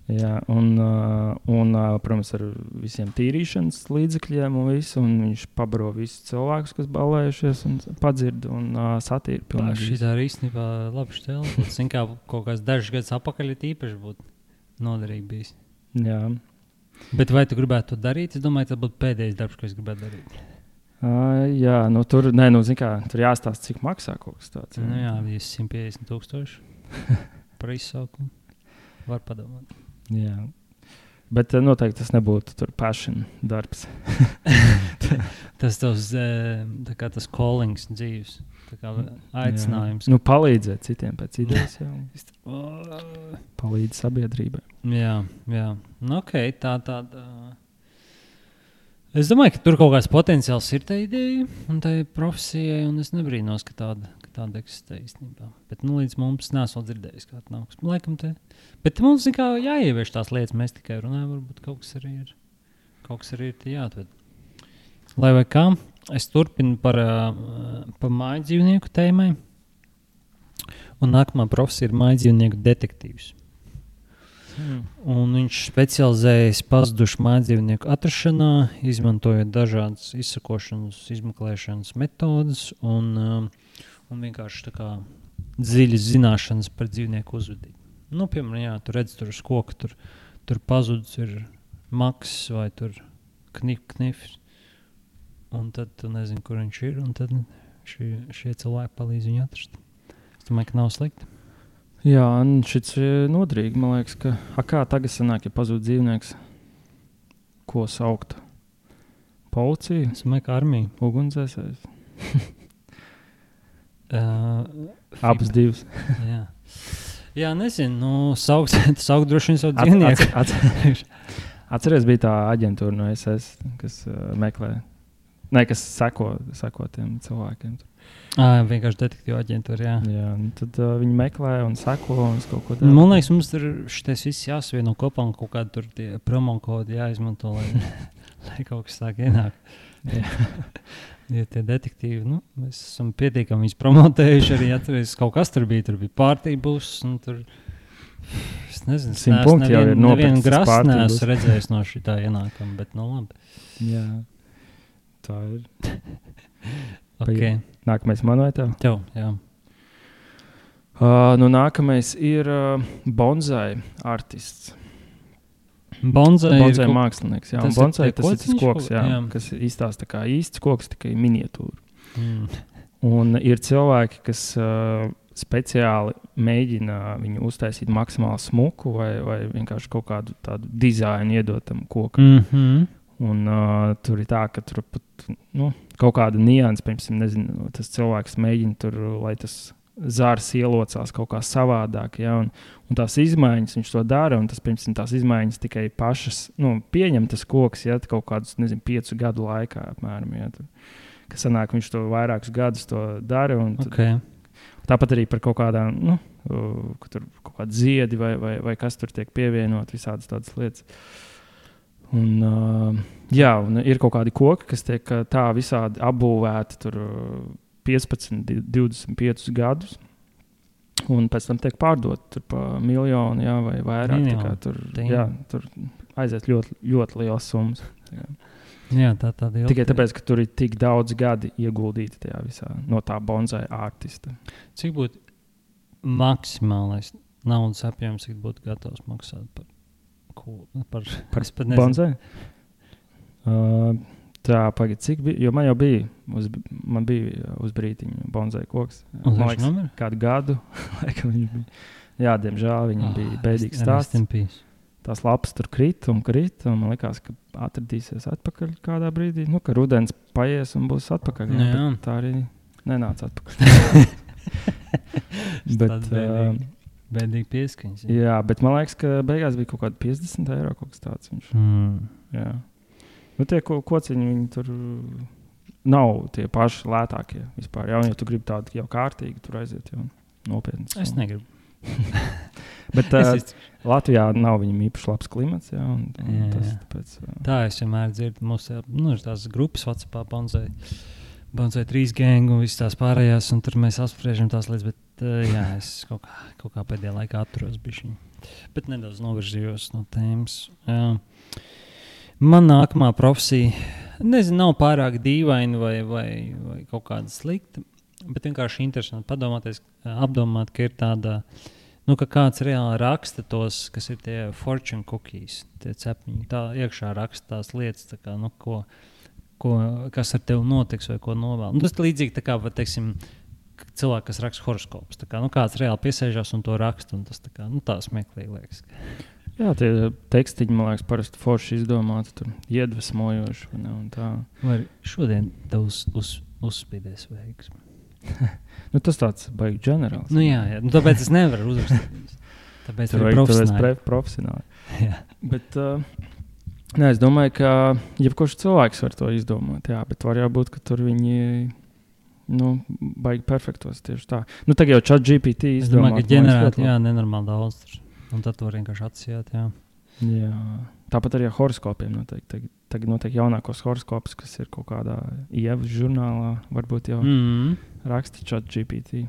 Jā, un, uh, un uh, protams, ar visiem tīrīšanas līdzekļiem un visu, un viņš pabaro visus cilvēkus, kas balējušies un padzird un uh, satīra pilnīgi. Šī tā ir īstenībā labi štēla. Zin kā kaut kāds dažs gadus apakaļ ir īpaši būtu noderīgi bijis. Jā. Bet vai tu gribētu to darīt? Es domāju, tas būtu pēdējais darbs, ko es gribētu darīt. Uh, jā, nu tur, nē, nu, zin kā, tur jāstāst, cik maksā kaut kas tāds. Jā, nu, jā bija simt piecdesmit tūkstoši par izsaukumu. Var padomāt. Jā, bet noteikti tas nebūtu tur passion darbs. tas tavs, tā kā tas callings dzīves, tā kā aicinājums. Jā. Nu, palīdzēt citiem pēc idejas, jā. Palīdz sabiedrībai. Jā, jā. Nu, ok, tā tāda... Es domāju, ka tur kaut kāds potenciāls ir tā ideja un tā profesijai, un es nebrīnos, ka tāda, ka tāda eksistē īstenībā. Bet nu, līdz mums nesmu dzirdējis, kā tā nāks. Laikam te. Bet mums kā jāievieš tās lietas, mēs tikai runājam, varbūt kaut kas arī ir, kaut kas arī ir tie jāatved. Lai vai kā, es turpinu par, par māju dzīvnieku tēmai, un nākamā profesija ir māju dzīvnieku detektīvs. Mm. Un viņš specializējas pazudušu mājdzīvnieku atrašanā, izmantojot dažādas izsakošanas, izmeklēšanas metodas un, um, un vienkārši tā kā dziļas zināšanas par dzīvnieku uzvedību. Nu, piemēram, jā, tu redz tur uz koka, tur, tur pazudus ir maks vai tur knif, knifs, un tad tu nezini, kur viņš ir, un tad šie, šie cilvēki palīdz viņu atrast. Es domāju, ka nav slikti. Jā, un šis ir nodrīgi, man liekas, ka a, kā tagad sanāk, ja pazūd dzīvnieks, ko saukt? Policija? Es domāju, ka armija. Ugunsdzēsējs? uh, Abas divas. Jā. Jā, nezinu, nu, saukt, saukt droši vien savu dzīvnieku. At, at, atceries, bija tā aģentūra no S S, kas uh, meklē, ne, kas seko, seko tiem cilvēkiem. Ah, vienkārši detektīva aģentūra, jā. Jā, tad uh, viņi meklē un seko un kaut ko dara. Man liekas, mums tur šitais viss jāsavieno kopā un kaut kādi tur tie promo kodi jāizmanto, lai, lai kaut kas sāk ienākt. Ja tie detektīvi, nu, mēs esam pietiekami viņus promotējuši arī, atceries, kaut kas tur bija, tur bija pārtī būs un tur, es nezinu, simt punkti jau ir nopirkts. Nevienu grasu neesmu redzējis no šitā ienākuma, bet nu labi. Jā, tā ir. Okay. Nākamais man vai tev? Tev, jā. Uh, nu, nākamais ir uh, bonsai artists. Bonsai, bonsai ir mākslinieks. Jā, tas bonsai ir, tas ir tas koks, jā, jā. kas izstāsta kā īsts koks, tikai miniatūra. Mm. Un ir cilvēki, kas uh, speciāli mēģina viņu uztaisīt maksimāli smuku vai, vai vienkārši kaut kādu tādu dizainu iedot tam kokam. Mm-hmm. Un uh, tur ir tā, ka tur pat nu, kaut kāda nianses, piemēram, nezinu, tas cilvēks mēģina tur, lai tas zārs ielocās kaut kā savādāk, ja, un, un tās izmaiņas viņš to dara, un tas, piemēram, tās izmaiņas tikai pašas, nu, pieņem tas koks, ja, kaut kādus, nezinu, piecu gadu laikā, apmēram, ja, tur, kas sanāk, viņš to vairākus gadus to dara, un tad, okay. Tāpat arī par kaut kādām, nu, ka tur kaut kādi ziedi vai, vai, vai kas tur tiek pievienot, visādas tādas lietas. Un, uh, jā, un ir kaut kādi koki, kas tiek tā visādi apbūvēti tur piecpadsmit, divdesmit piecus gadus, un pēc tam tiek pārdot tur pa miljonu, jā, vai vairāk. Tā kā tur, jā, tur aiziet ļoti, ļoti liels summas. Jā, jā tā tāda ilga. Tikai tāpēc, ka tur ir tik daudz gadi ieguldīti tajā visā no tā bonsai artista. Cik būtu maksimālais naudas apjoms, cik būtu gatavs maksāt par ko? Par, par bonsai? Uh, Tā, pagad, cik bija, jo man jau bija, uz, man bija uz brītiņu bonsai koks. Un man liekas, kādu gadu, laikam viņš bija. Jā, diemžēl viņam oh, bija bēdīgs stāsts. Tās lapas tur krita un krita, un man likās, ka atradīsies atpakaļ kādā brīdī. Nu, ka rudens paies un būs atpakaļ. Jā, jā. Tā arī nenāca atpakaļ. bet, bēdīgi, uh, bēdīgi pieskaņas. Jā. jā, bet man liekas, ka beigās bija kaut kādi piecdesmit eiro kaut kas tāds viņš. Mm. Jā. Nu, tie ko, kociņi, viņi tur nav tie paši lētākie vispār. Jā, un ja tu gribi tādu jau kārtīgi, tur aiziet jau nopietni. Es negribu. Bet uh, es Latvijā nav viņam īpaši labs klimats, jā. Un, un jā, tas, jā. tāpēc, uh... Tā es vienmēr dzirdu. Mums ir nu, tās grupas WhatsAppā bonsai, bonsai trīs gangu un visas tās pārējās, un tur mēs apspriežam tās lietas, bet uh, jā, es kaut kā, kaut kā pēdējā laikā atturos bišķiņ. Bet nedaudz novirzījos no tēmas. Jā. Man nākamā profesija, nezinu, nav pārāk dīvaina vai, vai, vai kaut kāda slikta, bet vienkārši interesanti padomāties, apdomāt, ka ir tāda, nu, ka kāds reāli raksta tos, kas ir tie fortune cookies, tie cepņi, tā iekšā raksta tās lietas, tā kā, nu, ko, ko, kas ar tevi notiks vai ko novēl. Nu, tas līdzīgi tā kā, vai, teiksim, cilvēki, kas raksta horoskopus, tā kā, nu, kāds reāli piesēžās un to raksta, un tas tā kā, nu, tā smieklīgi liekas. Jā, tie tekstiņi, man liekas, parasti forši izdomāti, tur iedvesmojoši. Ne, un tā. Vai šodien tev uz, uz, uzspīdēs veiksmi? Nu, tas tāds baigi ģenerāls. Nu jā, jā. Nu, tāpēc es nevaru uzrakstīt. Tāpēc tur ir profesionāli. profesionāli. Jā. Bet uh, ne, es domāju, ka jebkurš cilvēks var to izdomāt, jā, bet var jau būt, ka tur viņi nu, baigi perfektos tieši tā. Nu, tagad jau chat G P T izdomāt. Es domāju, ka ģenerēt, jā, nenormāli daudz tur. Un tad var vienkārši atsijāt, jā. Jā. Tāpat arī ar horoskopiem noteikti. Tagad noteikti jaunākos horoskopus, kas ir kaut kādā ievas žurnālā, varbūt jau mm. raksta chat G P T.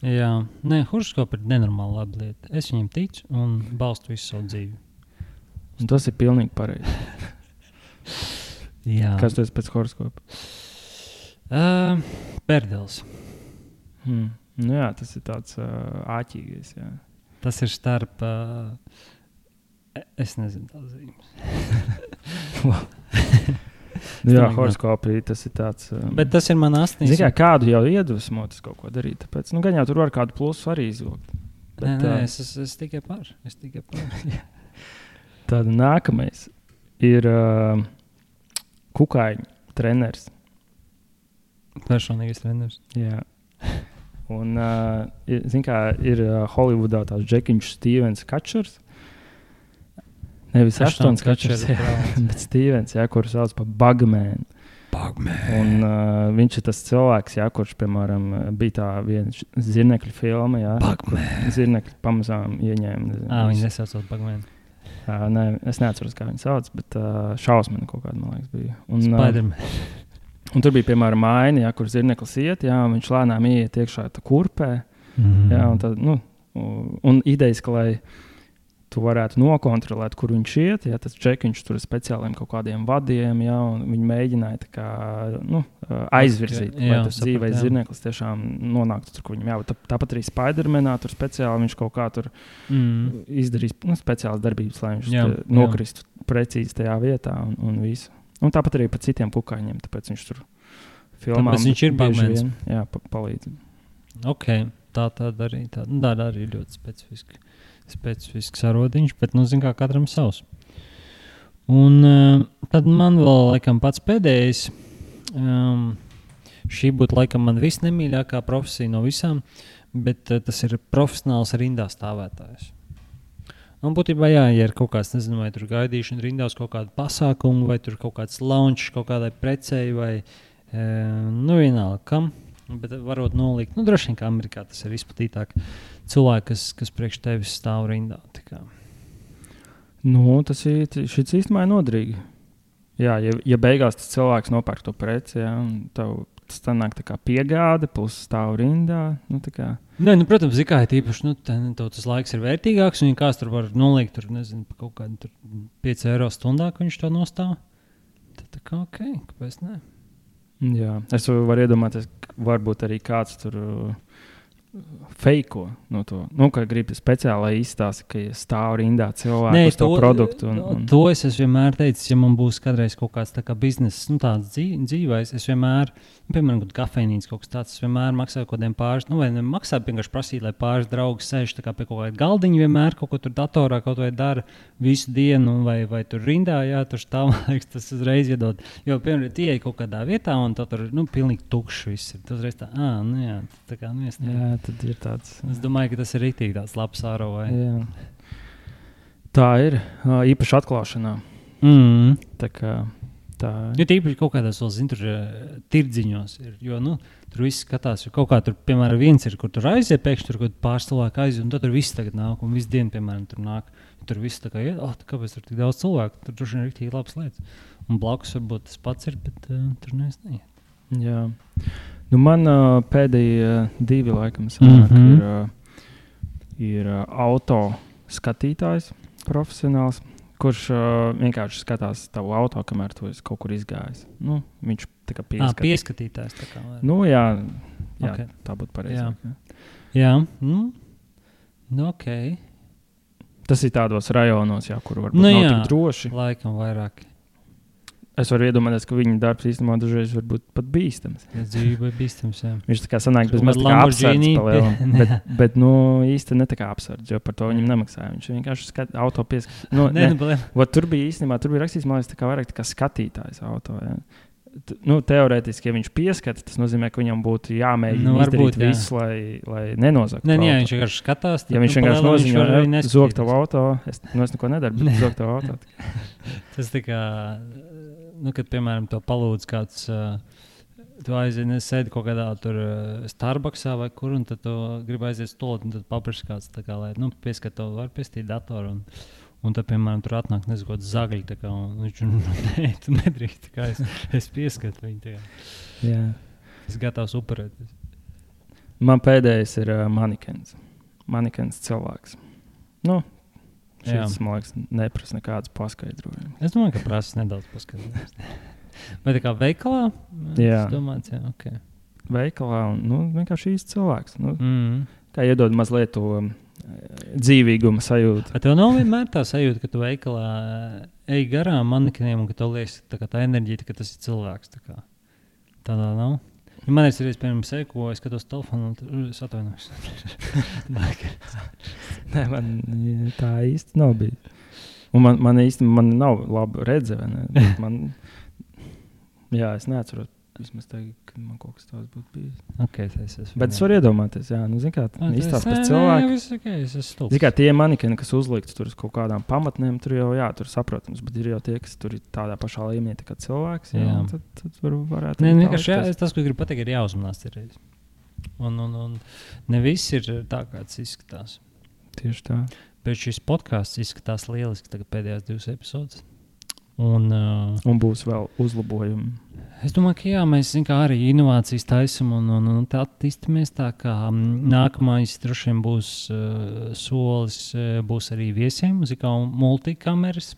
Jā. Nē, horoskopi ir nenormāli laba lieta. Es viņiem ticu un balstu visu savu dzīvi. Un tas ir pilnīgi pareizi. Jā. Kas tu esi pēc horoskopa? Uh, Perdels. Hmm. Nu jā, tas ir tāds uh, āķīgais, jā. Tas ir starp, uh, es nezinu tās zīmes. Jā, horoskopi, tas ir tāds. Um, Bet tas ir man astīs. Zini, kā kādu jau iedvesmot kaut ko darīt, tāpēc, nu, gan jau tur var kādu plusu arī izvilkt. Bet, nē, nē, es, es, es tikai par, es tikai par. Tāda nākamais ir uh, kukaiņu treneris. Personīgais treneris. Jā. Un, uh, zin kā, ir uh, Hollywoodā tāds Džekiņš Stevens Kačers. Nevis Aštons Kačers, bet Stevens, jā, kuru sauc par Bugman. Bugman. Un uh, viņš ir tas cilvēks, jā, kurš, piemēram, bija tā viena zirnekļu filma, jā. Bugman. Zirnekļi pamazām ieņēma. Nezinu, Ā, viņi nesaucot Bugman. Uh, ne, es neatceros, kā viņi sauc, bet uh, šausmeni kaut kāda, man liekas, bija. Un, Spiderman. Uh, Un tur bija, piemēram, aina, jā, kur zirneklis iet, jā, un viņš lēnām iet iekšā tā kurpē. Mm. Jā, un, tad, nu, un idejas, ka lai tu varētu nokontrolēt, kur viņš iet. Ja, tas čekiņš tur ir speciāliem kaut kādiem vadiem, ja, un viņi mēģināja tā kā, nu, aizvirzīt, okay, lai jā, tas dzīvais zirneklis tiešām nonāktu tur, kur viņam jābūt. Tā, tāpat arī Spidermanā tur speciāli viņš kaut kā tur mm. izdarīs nu, speciālas darbības, lai viņš jā, nokristu jā. Precīzi tajā vietā un, un visu. Un tāpat arī par citiem kukaiņiem, tāpēc viņš tur filmā. Tāpēc viņš ir bagmens. Jā, pa, palīdz. Ok, tā tāda arī, tā, tāda arī ļoti specifiski. specifisks arodiņš, bet, nu, zin kā, katram savs. Un uh, tad man vēl, laikam, pats pēdējais, um, šī būtu, laikam, man visnemīļākā profesija no visām, bet uh, tas ir profesionāls rindā stāvētājs. Un būtībā, jā, ja ir kaut kāds, nezinu, vai tur gaidīšana rindā uz kaut kādu pasākumu, vai tur kaut kāds launch kaut kādai precei, vai, uh, nu, vienalga, kam, bet varot nolikt, nu, droši vien, kā Amerikā tas ir izplatītāk, cilvēki, kas, kas priekš tevis stāv rindā. Nu, tas ir, šis īstenībā ir nodrīgi. Jā, ja, ja beigās tas cilvēks nopērk to preci, jā, un tev tas tā nāk tā kā piegāde, plus stāv rindā, nu tā kā. Nē, nu, protams, zikā ir tīpaši, nu, tā, tev tas laiks ir vērtīgāks, un ja kāds tur var nolikt, tur, nezinu, pa kaut kādu tur pieci eiro stundā, ka viņš to nostāv, tad tā kā ok, kāpēc ne? Jā, es varu iedomāties, varbūt arī kāds tur feiko no to. Nu, ka gribi speciāli izstāstīt, ka stāv rindā cilvēku Nē, uz to, to produktu. Un, un... To es esmu vienmēr teicis, ja man būs kādreiz kaut kāds tā kā bizness, nu tāds dzīv, dzīvais, es vienmēr, nu, piemēram, kaut kafejnīca kaut kas tāds, es vienmēr maksāju kaut kādiem pāris, nu vai nemaksāju vienkārši prasīt, lai pāris draugi sēž tā kā pie kaut kāda galdiņa vienmēr, kaut ko tur datorā kaut vai dara visu dienu, vai, vai tur rindā, jā, tur stāv, tas uzreiz iedod. Jo, piemēram, tie kaut kādā vietā, un tā tur, nu, pilnīgi tukšs viss ir. Tas reiz tā, ā, nu jā, tā kā, nu, jā, tad ir tāds. Es domāju, ka tas ir rītīgi tāds labs āro vai. Jā. Tā ir, īpaši atklāšanā. Mm. Tā kā tā. Jo tīpaši kaut kādās vēl, zin, tur tirdziņos ir, jo, nu, tur viss skatās, jo kaut kā tur, piemēram, viens ir, kur tur aiziet, pēkšņi tur kaut pāris cilvēku aiziet, un tad tur viss tagad nāk, un visu dienu, piemēram, tur nāk. Tur viss tā kā iet, oh, kāpēc tur tik daudz cilvēku, tur droši vien ir rītīgi labas lietas. Un blakus varbūt tas pats ir, bet uh, tur neviens neiet. Jā. Nu, man uh, pēdējie uh, divi laikam sanāk, mm-hmm. ir, uh, ir uh, auto skatītājs, profesionāls, kurš uh, vienkārši skatās tavu auto, kamēr tu esi kaut kur izgājis. Nu, viņš tā kā pieskatīt. À, pieskatītājs tā kā. Vai? Nu, jā, jā okay. Tā būtu pareizāk. Jā, jā. Nu, nu, ok. Tas ir tādos rajonos, jā, kur varbūt nu, nav jā, tik droši. Laikam vairāk. Es varu iedomāties, ka viņa darbs īstenībā dažreiz var būt pat bīstams. Jā, dzīve ir bīstams, jā. Viņš tā kā sanāk bez maz tā kā apsardz palielam, bet, bet, nu, īsti ne tā kā apsardz, jo par to viņam nemaksāja. Viņš vienkārši skat, auto pieskat. Nu, ne, ne. Vat, tur bija īstenībā, tur bija rakstīts, man liekas, tā kā vairāk tā kā skatītājs auto, jā. T, nu, teorētiski, ja viņš pieskata, tas nozīmē, ka viņam būtu jāmēģina nu, izdarīt būt, visu, lai, lai nenozaktu. Nē, jā, viņš vienkārši skatās. Ja viņš vienkārši nozīmē, zog tavu auto, es, nu, es neko nedaru, bet zog tavu auto. Tas tā kā... Nu, kad, piemēram, to palūdz kāds, uh, tu aiziet, sēdi kaut kādā tur uh, Starbucksā vai kur, un tad tu gribi aiziet stolot, un tad papraši kāds, tā kā, lai, nu, pieskat to, var piestīt datoru, un, un tad, piemēram, tur atnāk nezakot zagļi, tā kā, un viņš, nē, tu nedrīkst, tā kā es, es pieskatu viņu, tā kā. Jā. Es gatavs upurēt. Man pēdējais ir uh, manikens. Manikens cilvēks. Nu, šis, man liekas, neprasa nekādas paskaidrojumus. Es domāju, ka prasa nedaudz paskaidrojumus. Vai tā kā veikalā? Jā. Es domāju, jā, ok. Veikalā un, nu, vienkārši īsts cilvēks. Nu, mm. Kā iedod mazliet to um, dzīvīguma sajūtu. A tev nav vienmēr tā sajūta, ka tu veikalā ej garām manekeniem un ka tev liekas tā, tā enerģija, ka tas ir cilvēks. Tā kā. Tādā nav? Ja man ir arī, piemēram, seku, es skatos telefonu un es atvainojos. Nē, man tā īsti nav bijis. Un man, man īsti man nav laba redze, vai ne? Man, jā, es neatceros vismaz tagad, kad man kaut kas tāds būtu bijis. Okay, es esmu. Bet es varu iedomāties, jā, nu, zin kā, izstāst pēc cilvēku. Jā, viss ok, es esmu stulbs. Zin kā, tie manikeni, kas uzlikts tur uz kaut kādām pamatnēm, tur jau, jā, tur saprotams, bet ir jau tie, kas tur ir tādā pašā līmenī tā kā cilvēks, jā, jā. Tad, tad var, varētu... Nē, vienkārši, jā, tas, ko gribu pateikt, ir jāuzmanās reiz. Un, un, un ne viss ir tā, kāds izskatās. Tieši tā. Bet šis podcasts izskatās lieliski tagad pēdējās divas epizodes. Un, uh, un būs vēl uzlabojumi. Es domāju, ka jā, mēs kā, arī inovācijas taisam un, un, un tā attīstamies tā, ka nākamais droši vien būs uh, solis, uh, būs arī viesiem, kā multikameras.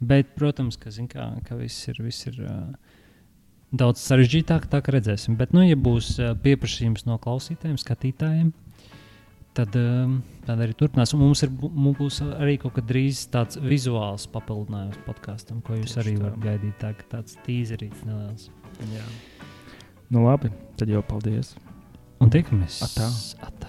Bet, protams, ka, kā, ka viss ir, viss ir uh, daudz sarežģītāk, tā kā redzēsim. Bet, nu, ja būs uh, pieprasījums no klausītājiem, skatītājiem, tad, uh, tad arī turpinās. Un mums, ir, mums būs arī kaut kad drīz tāds vizuāls papildinājums podkastam, ko jūs arī varat gaidīt. Tā, tāds tīzerīts neliels. Jā. Nu labi, tad jau paldies. Un tiekamies. Atā. Atā.